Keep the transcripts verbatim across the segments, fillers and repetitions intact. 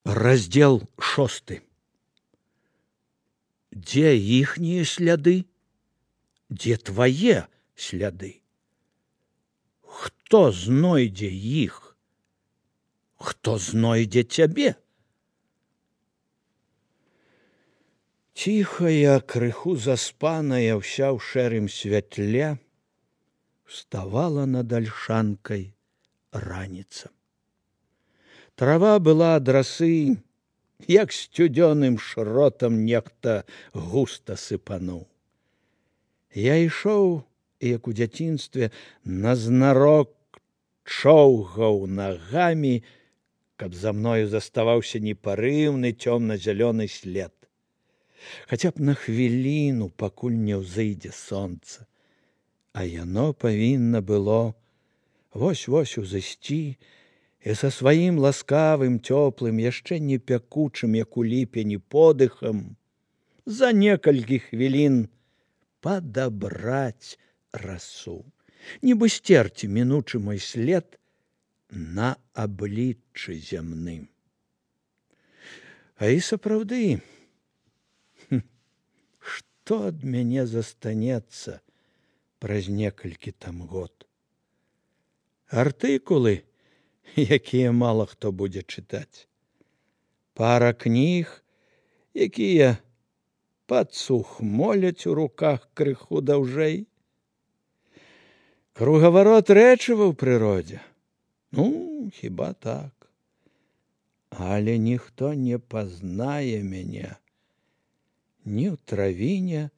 Раздел шосты. Дзе іхнія сляды? Дзе твае сляды? Хто знойдзе іх? Хто знойдзе цябе? Ціхая, крыху заспаная, ўся ў шэрым святле, вставала над альшанкай раніца. Трава была ад расы, як сцюдзёным шротам нехта густа сыпануў. Я ішоў, як у дзяцінстве, назнарок чоўгаў нагамі, каб за мною заставаўся непарыўны цёмна-зялёны след. Хаця б на хвіліну, пакуль не ўзыдзе сонца. А яно павінна было вось-вось узысці і са сваім ласкавым, цёплым, яшчэ не пякучым, як у ліпені, подыхам за некалькі хвілін падабраць расу, нібы сцерці мінучы мой след на абліччы зямным. А і сапраўды, што ад мяне застанецца праз некалькі там год? Артыкулы, якія мала хто будзе чытаць. Пара кніг, якія падсухмоляць у руках крыху даўжэй. Кругаварот рэчыва ў прыродзе. Ну, хіба так. Але ніхто не пазнае мяне ні ў травіне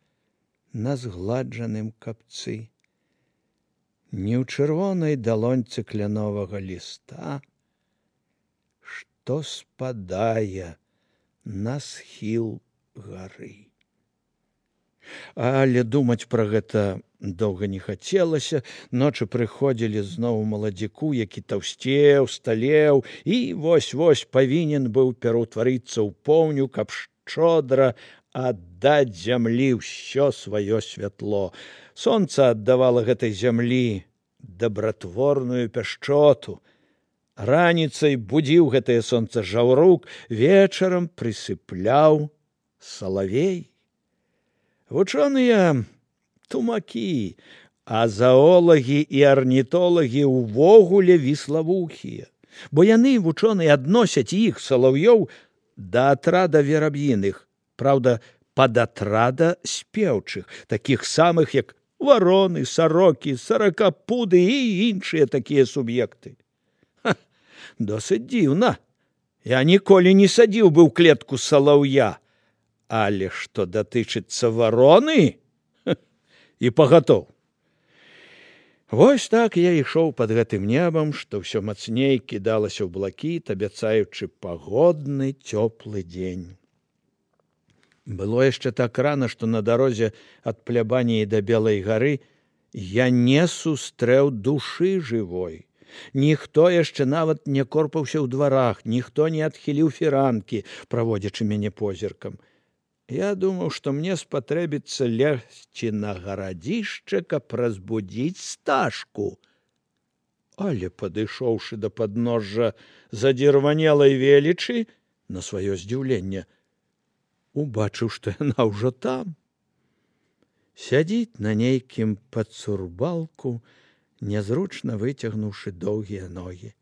на згладжаным капцы, ні ў чырвонай далоньцы кляновага ліста, што спадае на схіл гары. Але думаць пра гэта доўга не хацелася. Ночы прыходзілі зноў маладзіку, які таўсцеў, сталеў і вось-вось павінен быў пераўтварыцца ў поўню, каб шчодра аддаць зямлі ўсё сваё святло. Сонца аддавала гэтай зямлі дабратворную пяшчоту. Раніцай будзіў гэтае сонца жаўрук, вечарам прысыпляў салавей. Вучоныя тумакі, а заолагі і арнітолагі ўвогуле віславухія, бо яны, вучоныя, адносяць іх, салаўёў, да атрада вераб'іных, праўда, пад атрада спеўчых, такіх самых, як вароны, сарокі, саракапуды і іншыя такія суб'екты. Ха, досыць дзіўна. Я ніколі не садзіў бы ў клетку салаўя, але што датычыцца вароны, ха, і пагатоў. Вось так я ішоў пад гэтым небам, што ўсё мацней кідалася ў блакіт, абяцаючы пагодны цёплы дзень. Было яшчэ так рана, што на дарозе ад плябаніі да Белай гары я не сустрэў душы жывой. Ніхто яшчэ нават не корпаўся ў дварах, ніхто не адхіліў фіранкі, праводзячы мяне позіркам. Я думаў, што мне спатрэбіцца лезці на гарадзішча, каб разбудзіць сташку. Але, падышоўшы да падножжа задзірванелай велічы, на сваё здзіўленне, убачыў, што яна ўжо там. Сядзіць на нейкім падцурбалку, нязручна выцягнуўшы доўгія ногі,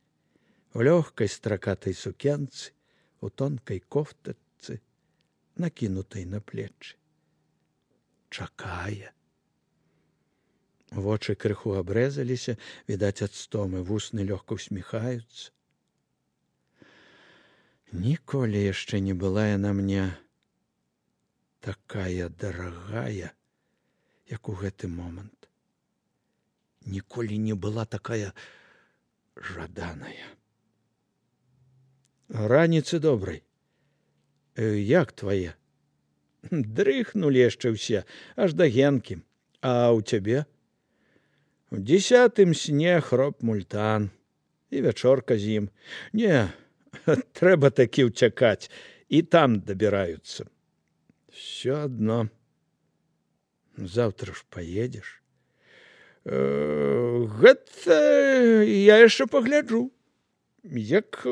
у лёгкай стракатай сукенцы, у тонкай кофтачцы, накінутай на плечы. Чакае. Вочы крыху абрэзаліся, відаць, ад стомы, вусны лёгка ўсміхаюцца. Ніколі яшчэ не была яна мне такая дарагая, як у гэты момант. Ніколі не была такая жаданая. Раніцы добрай. Як твае? Дрыхнулі яшчэ ўсе, аж да генкі. А ў цябе? У дзесятым сне хроп мультан. І вячорка з ім. Не, трэба такі ўцякаць. І там дабіраюцца. Всё адно. Заўтра ж паедзеш? Гэта я яшчэ пагляджу. Як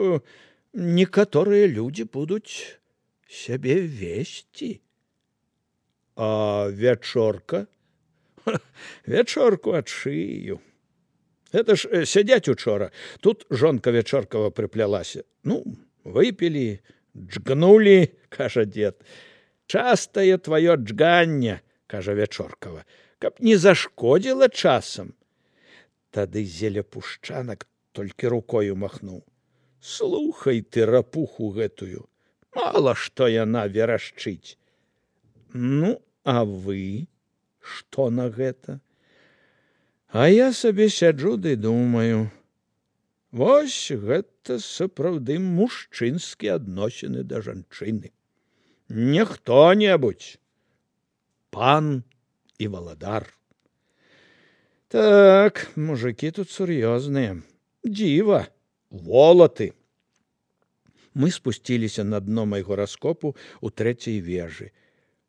некаторыя людзі будуць сябе весці. А вячорка? Вячорку адшыю. Гэта ж сядзяць учора. Тут жонка Вячоркава прыплялася. Ну, выпілі, джгнулі, кажа дзед. Частае тваё джганне, кажа Вячоркава, каб не зашкодзіла часам. Тады зелепушчанак толькі рукою махнуў. Слухай ты рапуху гэтую, мала што яна верашчыць. Ну, а вы што на гэта? А я сабе сяджу ды думаю. Вось гэта сапраўды мужчынскія адносіны да жанчыны. Не хто-небудзь, пан і валадар. Так, мужики тут сур'ёзныя. Дзіва, волаты. Мы спусціліся на дно майго раскопу у трэцяй вежы.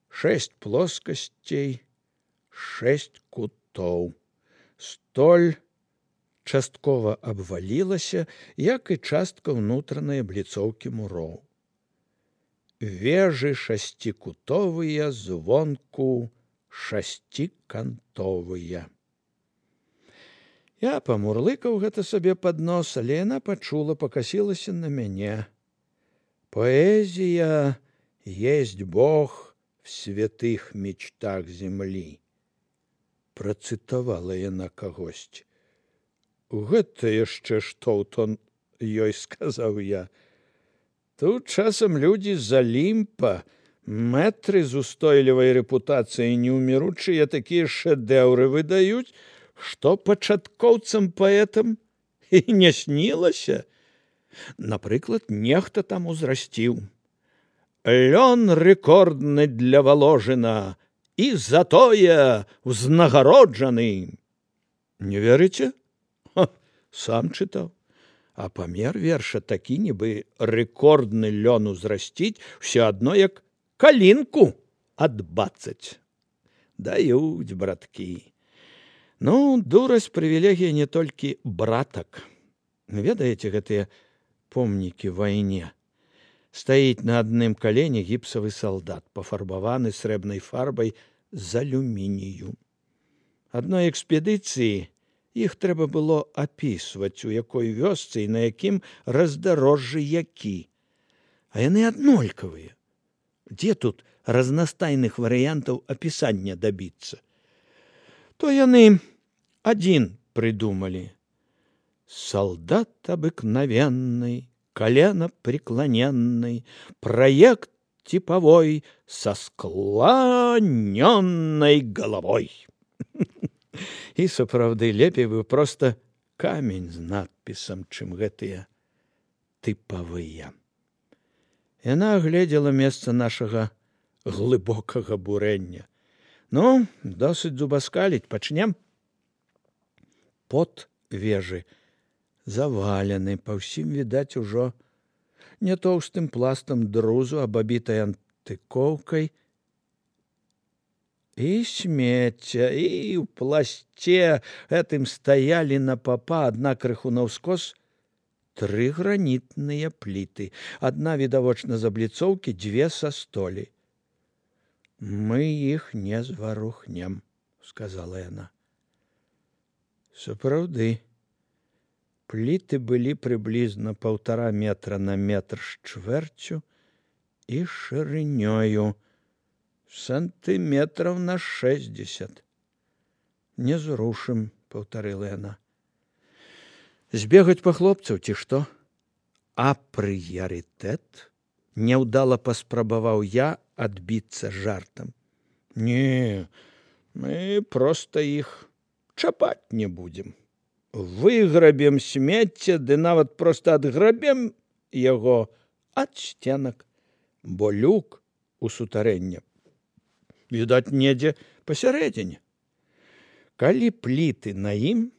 Шэсць плоскасцей, шэсць кутоў. Столь часткова абвалілася, як і частка ўнутранай абліцоўкі муроў. Вежы шасцікутовыя, звонку шасцікантовыя. Я памурлыкаў гэта сабе пад нос, але яна пачула, пакасілася на мяне. Поэзія есть Бог в святых мечтах земли. Працытавала яна кагосьці. Гэта яшчэ што ў тон ёй сказаў я. Тут часам людзі з Алімпа, мэтры з устойлівай рэпутацыяй неўміручыя такія шэдэўры выдаюць, што пачаткоўцам паэтам і не снілася. Напрыклад, нехта там узрасціў. Лён рэкордны для Воложына і затое ўзнагароджаны. Не верыце? Ха, сам чытаў. А памер верша такі, нібы рэкордны лён узрасціць, усё адно як калінку адбацаць. Даюць, браткі. Ну, дурасць прывілегія не толькі братак. Ведаеце гэтыя помнікі вайне? Стаіць на адным калене гіпсавы салдат, пафарбаваны срэбнай фарбай з алюмінію. Адной экспедыцыі іх трэба было апісваць, у якой вёсцы і на якім раздарожжы які. А яны аднолькавыя. Дзе тут разнастайных варыянтаў апісання дабіцца? То яны адзін прыдумалі. Солдат обыкновенный, колено преклоненный, проект типовой со склоненной головой. І сапраўды лепей бы проста камень з надпісам, чым гэтыя тыпавыя. Яна агледзела месца нашага глыбокага бурэння. Ну, досыць зубаскаліць, пачнем. Под вежы завалены, па ўсім відаць ужо не тоўстым пластам друзу, абабітай антыкоўкай. І смецця, і ў пласце гэтым стаялі на папа, адна крыху наўскос, тры гранітныя пліты. Адна відавочна з абліцоўкі, дзве са столі. Мы іх не зварухнем, сказала яна. Сапраўды, пліты былі прыблізна паўтара метра на метр з чвэрцю і шырынёю сантыметраў на шэсцьдзесят. Не зрушым, паўтарыла яна. Збегаць па хлопцаў, ці што? А прыярытэт? Няўдала паспрабаваў я адбіцца жартам. Не, мы проста іх чапаць не будзем. Выграбем смецце, ды нават проста адграбем яго ад сценак, бо люк у сутарэнне відаць недзе пасярэдзіне. Калі пліты на ім,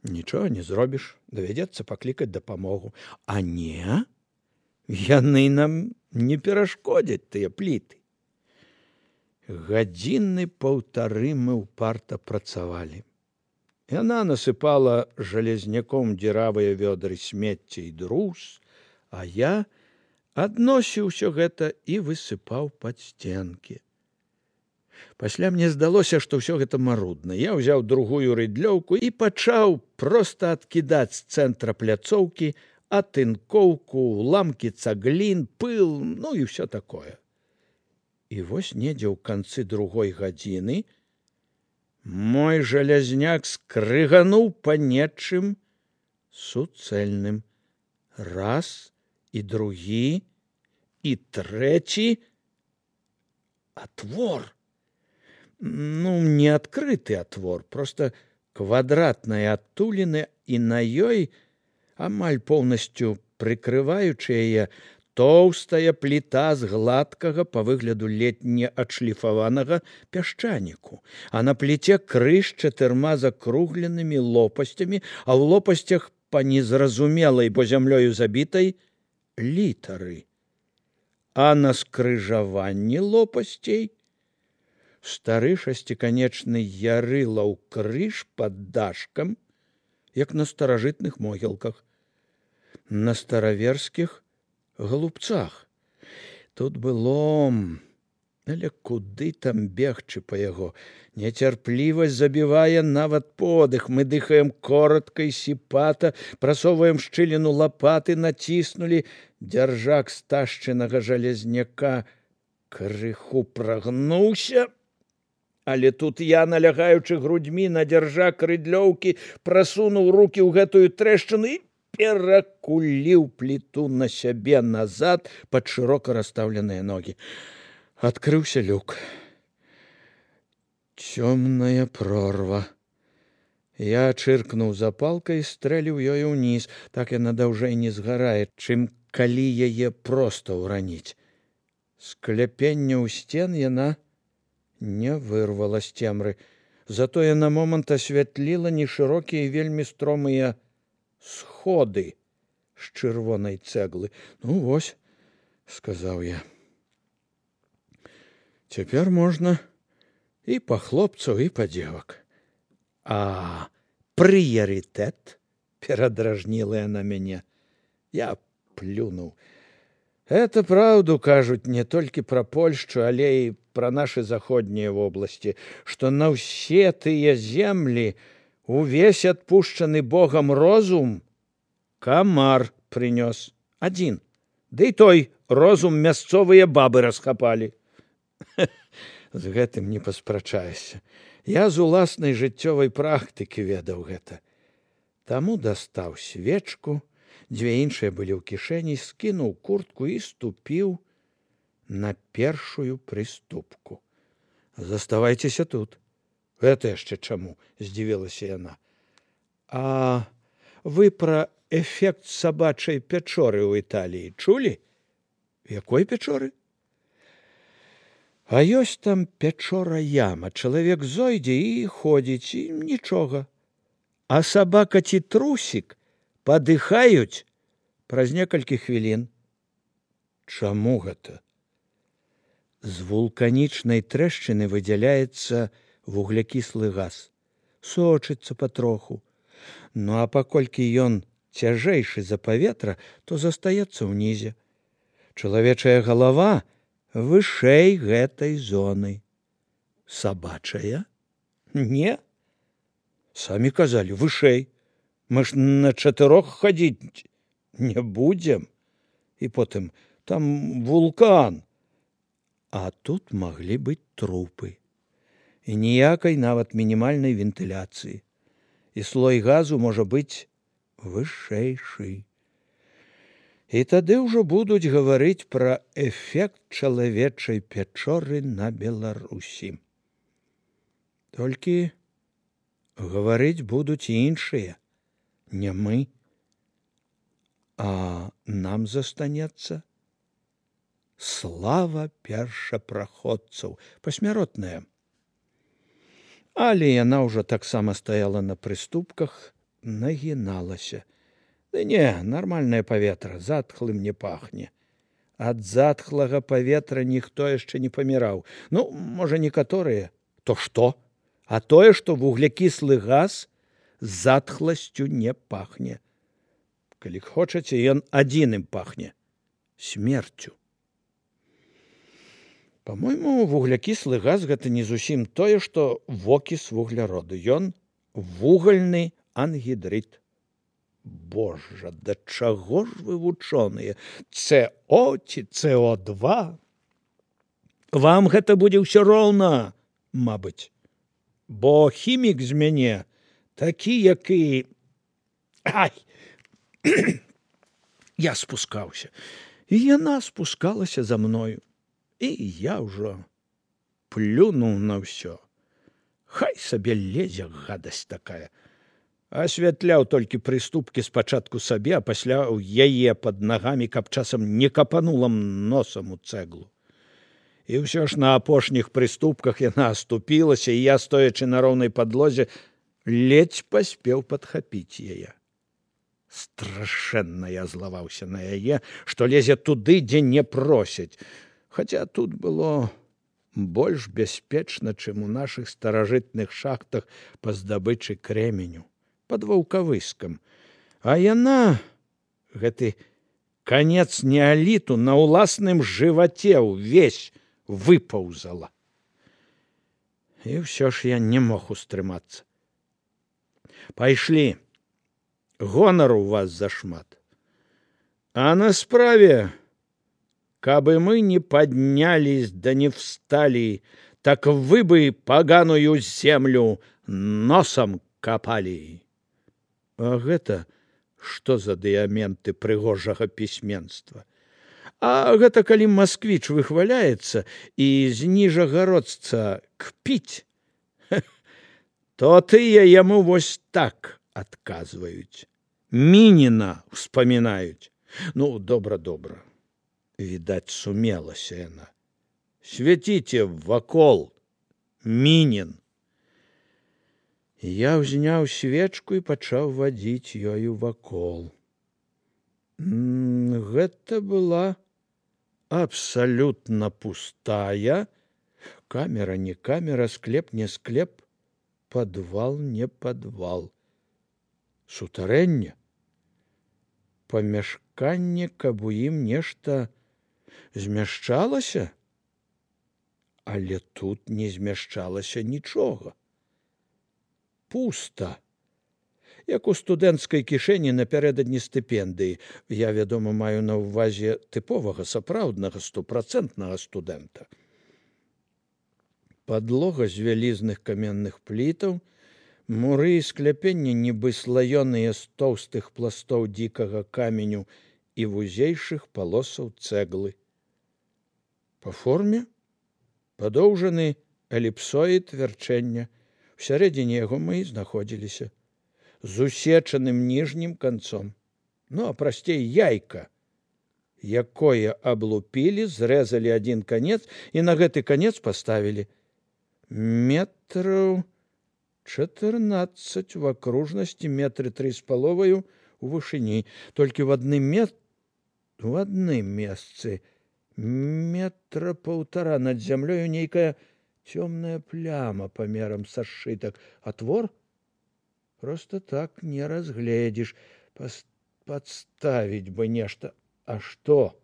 нічога не зробіш, давядзецца паклікаць дапамогу. А не, яны нам не перашкодзяць, тыя пліты. Гадзіны паўтары мы ўпарта працавалі. Яна насыпала жалезняком дзіравыя вёдры смецця і друз, А я адносіў усё гэта і высыпаў пад сценкі. Пасля мне здалося, што ўсё гэта марудна. Я ўзяў другую рыдлёўку і пачаў проста адкідаць з цэнтра пляцоўкі атынкоўку, уламкі цаглін, пыл, ну і ўсё такое. І вось недзе ў канцы другой гадзіны мой жалязняк скрыгануў па нечым суцэльным. Раз, і другі, і трэці. Отвор. Ну, не адкрыты отвор, просто квадратная адтуліна, і на ёй, амаль поўнасцю прыкрываючы яе, тоўстая пліта з гладкага па выгляду ледзь не адшліфаванага пясчаніку, а на пліце крыж чатырма закругленымі лопасцямі, а ў лопасцях па незразумелай, бо зямлёю забітай, літары. А на скрыжаванні лопасцей стары шасціканечны ярылаў крыж пад дашкам, як на старажытных могілках, на стараверскіх глупцах. Тут было, але куды там бегчы па яго? Нецярплівасць забівае нават подых. Мы дыхаем коротка і сіпата, прасоўваем шчыліну лапаты, націснулі. Дзяржак сташчынага жалезняка крыху прагнуўся, але тут я, налягаючы грудьмі на дзяржак рыдлёўкі, прасунуў рукі ў гэтую трэшчыну і перакуліў пліту на сябе назад пад шырока расстаўленыя ногі. Адкрыўся люк. Цёмная прорва. Я чыркнуў запалкай і стрэліў ёю ўніз, так яна даўжэй не згарае, чым калі яе проста ўраніць. Скляпення ў сцен яна не вырвала з цемры, затое на момант асвятліла нешырокія і вельмі стромыя сходы з чырвонай цэглы. Ну вось, сказаў я. Цяпер можна і па хлопцаў, і па дзевак. А прыярытэт? Перадражніла яна мяне. Я плюнуў. Это праўду кажуць не толькі пра Польшчу, але і пра нашы заходнія вобласці, што на ўсе тыя землі увесь адпушчаны Богам розум камар прынёс. Адзін. Ды і той розум мясцовыя бабы расхапалі. З гэтым не паспрачаешся. Я з уласнай жыццёвай практыкі ведаў гэта. Таму дастаў свечку, дзве іншыя былі ў кішэні, скінуў куртку і ступіў на першую прыступку. Заставайцеся тут. Гэта яшчэ чаму? Здзівілася яна. А вы пра эфект сабачай пячоры ў Італіі чулі? Якой пячоры? А ёсць там пячора-яма. Чалавек зойдзе і ходзіць, і нічога. А сабака ці трусік падыхаюць праз некалькі хвілін. Чаму гэта? З вулканічнай трэшчыны выдзяляецца вуглякіслы газ. Сочыцца патроху. Ну а паколькі ён цяжэйшы за паветра, то застаецца ўнізе. Чалавечая галава вышэй гэтай зоны. Сабачая? Не. Самі казалі, вышэй. Мы ж на чатырох хадзіць не будзем. І потым, там вулкан. А тут маглі быць трупы. І ніякай нават мінімальнай вентыляцыі. І слой газу можа быць вышэйшы. І тады ўжо будуць гаварыць пра эфект чалавечай пячоры на Беларусі. Толькі гаварыць будуць іншыя, не мы. А нам застанецца слава першапраходцаў, пасмяротная. Але яна ўжо таксама стаяла на прыступках, нагіналася. Ды не, нармальнае паветра, затхлым не пахне. Ад затхлага паветра ніхто яшчэ не паміраў. Ну, можа, некаторыя. То што? А тое, што вуглякіслы газ з затхласцю не пахне. Калі хочаце, ён адзіным пахне смерцю. Па-мойму, вуглякіслы газ гэта не зусім тое, што вокіс вугляроду. Ён вугальны ангідрыд. Божа, да чаго ж вы вучоныя? С О ці С О два? Вам гэта будзе ўсё роўна, мабыць. Бо хімік з мяне такі, як і... Ай! Я спускаўся, і яна спускалася за мною. І я ўжо плюнуў на ўсё. Хай сабе лезе гадасць такая. Асвятляў толькі прыступкі спачатку сабе, а пасля ў яе пад нагамі, каб часам не капанула носам у цэглу. І ўсё ж на апошніх прыступках яна аступілася, і я, стоячы на роўнай падлозе, ледзь паспеў падхапіць яе. Страшэнна я злаваўся на яе, што лезе туды, дзе не просяць. Хаця тут было больш бяспечна, чым у нашых старажытных шахтах па здабычы крэменю, пад ваўкавыскам. А яна, гэты канец неаліту, на ўласным жываце ўвесь выпаўзала. І ўсё ж я не мог устрымацца. Пайшлі. Гонару у вас зашмат. А на справе, кабы мы не поднялись да не встали, так вы бы поганую землю носом копали. А гэта што за дыяменты прыгожага пісьменства? А гэта калі масквіч выхваляецца і з ніжагародца кпіць, то тыя яму вось так адказваюць. Мініна ўспамінаюць. Ну, добра-добра. Відаць, сумелася яна. Свяціце вакол, Мінін. Я ўзняў свечку і пачаў вадзіць ёю вакол. Гэта была абсалютна пустая. Камера не камера, склеп не склеп, падвал не падвал. Сутарэнне, памяшканне, каб у ім нешта змяшчалася, але тут не змяшчалася нічога. Пуста, як у студэнцкай кішэні напярэдадні стыпендыі. Я, вядома, маю на ўвазе тыповага, сапраўднага, стопрацэнтнага студэнта. Падлога з вялізных каменных плітаў, муры і скляпенні нібы слаёныя з тоўстых пластоў дзікага каменю і вузейшых палосаў цэглы. Па форме падоўжаны эліпсоід вярчэння. Усярэдзіне яго мы і знаходзіліся, з усечаным ніжнім канцом. Ну, а прасцей яйка, якое аблупілі, зрэзалі адзін канец і на гэты канец паставілі. Метраў чатырнаццаць в акружнасці, метры тры з паловаю у вышыні. Толькі в адным мет... в адным месцы метра паўтара над зямлёю нейкая цёмная пляма памерам са сшытак. А твор? Просто так не разгледзіш. Пас... падставіць бы нешта. А што?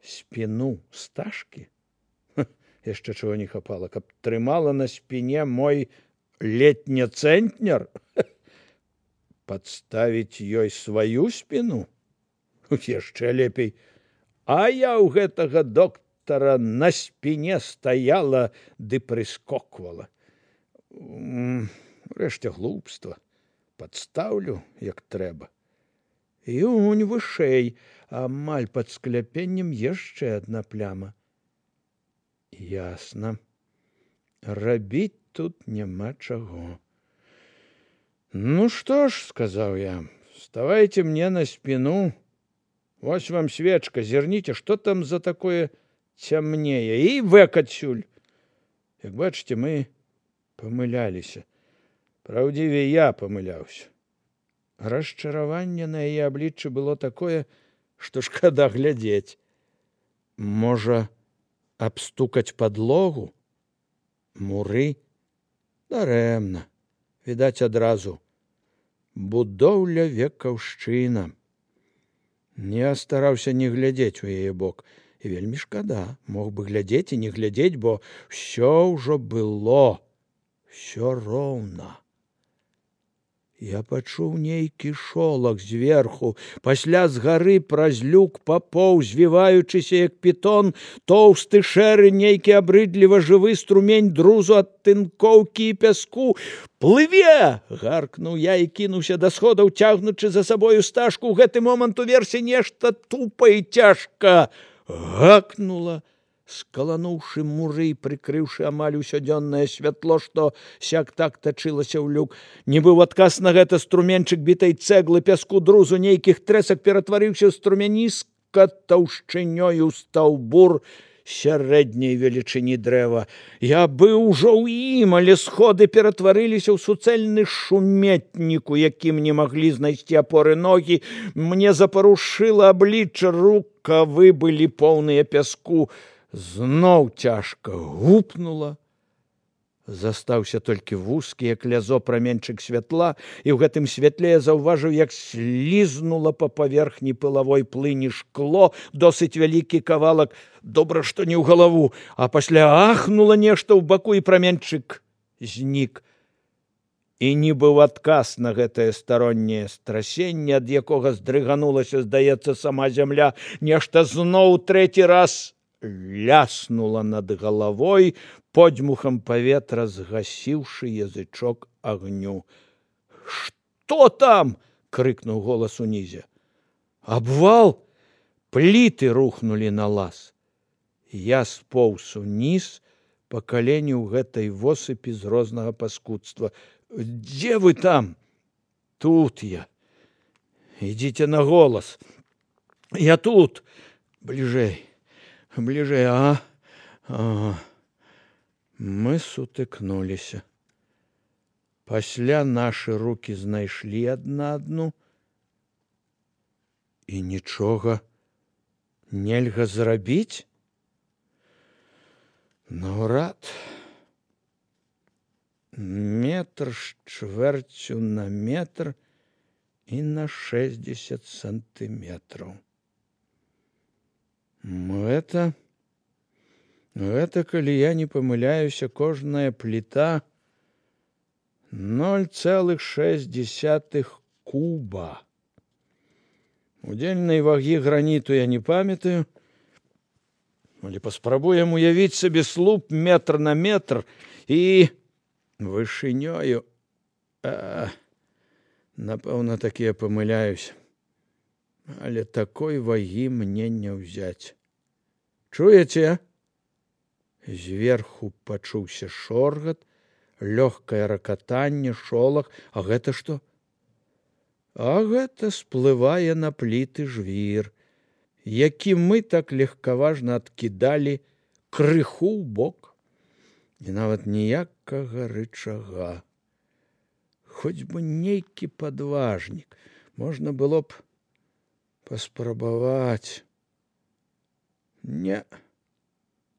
Спіну стажкі? Яшчэ чего не хапала, каб трымала на спине мой летне-цэнтнер? Падставіць ёй сваю спину? Яшчэ лепей. А я ў гэтага доктара на спине стаяла ды прыскоквала. Рэшце глупства. Падстаўлю, як трэба. І унь вышэй, амаль пад скляпеннем яшчэ адна пляма. Ясна. Рабіць тут няма чаго. Ну што ж, сказаў я, вставайте мне на спину. Вось вам свечка, зірніце, што там за такое цямнее. І вэк адсюль. Як бачыце, мы памыляліся. Праўдзівей, я памыляўся. Расчараванне на яе абліччы было такое, што шкада глядзець. Можа, абстукаць падлогу? Муры? Дарэмна. Відаць, адразу будоўля векаўшчына. Я стараўся не глядзець у яе бок, і вельмі шкада, мог бы глядзець і не глядзець, бо ўсё ўжо было, ўсё роўна. Я пачуў нейкі шолах зверху, пасля з гары праз люк папоўз, звіваючыся, як пітон, тоўсты шэры, нейкі абрыдліва жывы струмень друзу ад тынкоўкі і пяску. «Плыве!» – гаркнуў я і кінуўся да сходаў, цягнучы за сабою стажку. У гэты момант уверсе нешта тупа і цяжка гакнула, скалануўшы муры і прыкрыўшы амаль усё дзённае святло, што сяк-так тачылася ў люк. Нібы ў адказ на гэта струменчык бітай цэглы, пяску, друзу, нейкіх трэсак ператварыўся ў струмяністка таўшчынёю стаўбур сярэдняй велічыні дрэва. Я быў ужо ў ім, але сходы ператварыліся ў суцэльны шуметнік, у якім не маглі знайсці апоры ногі. Мне запарушыла аблічча, рукавы былі поўныя пяску. Зноў цяжка гупнула. Застаўся толькі вузкі, як лязо, праменчык святла, і ў гэтым святле я заўважыў, як слізнула па паверхні пылавой плыні шкло, досыць вялікі кавалак, добра, што не ў галаву, а пасля ахнула нешта ў баку, і праменчык знік. І нібы ў адказ на гэтае старонняе страсенне, ад якога здрыганулася, здаецца, сама зямля, нешта зноў трэці раз ляснула над галавой, подзьмухам паветра згасіўшы язычок агню. «Што там?» – крыкнуў голас унізе. «Абвал! Пліты рухнулі на лаз!» Я споўз уніз па калені ў гэтай восыпі з рознага паскудства. «Дзе вы там?» «Тут я». «Ідзіце на голас». «Я тут». «Бліжэй, бліжэй, а?» «Ага». Мы сутыкнуліся. Пасля нашы рукі знайшлі адна адну, і нічога нельга зрабіць? Наўрад. Метр з чвэрцю на метр і на шэсцьдзесят сантыметраў. Гэта... Гэта, калі я не памыляюся, кожная пліта ноль цэлых шэсць дзесятых куба. Удзельнай вагі граніту я не памятаю, але паспрабуем уявіць сабе слуп метр на метр і вышынёю. А, напэўна, так я памыляюся, але такой вагі мне не ўзяць. Чуеце? Зверху пачуўся шоргат, лёгкае ракатанне, шолах. А гэта што? А гэта сплывае на пліты жвір, які мы так легкаважна адкідалі крыху ў бок. І нават ніякага рычага. Хоць бы нейкі падважнік. Можна было б паспрабаваць. Не.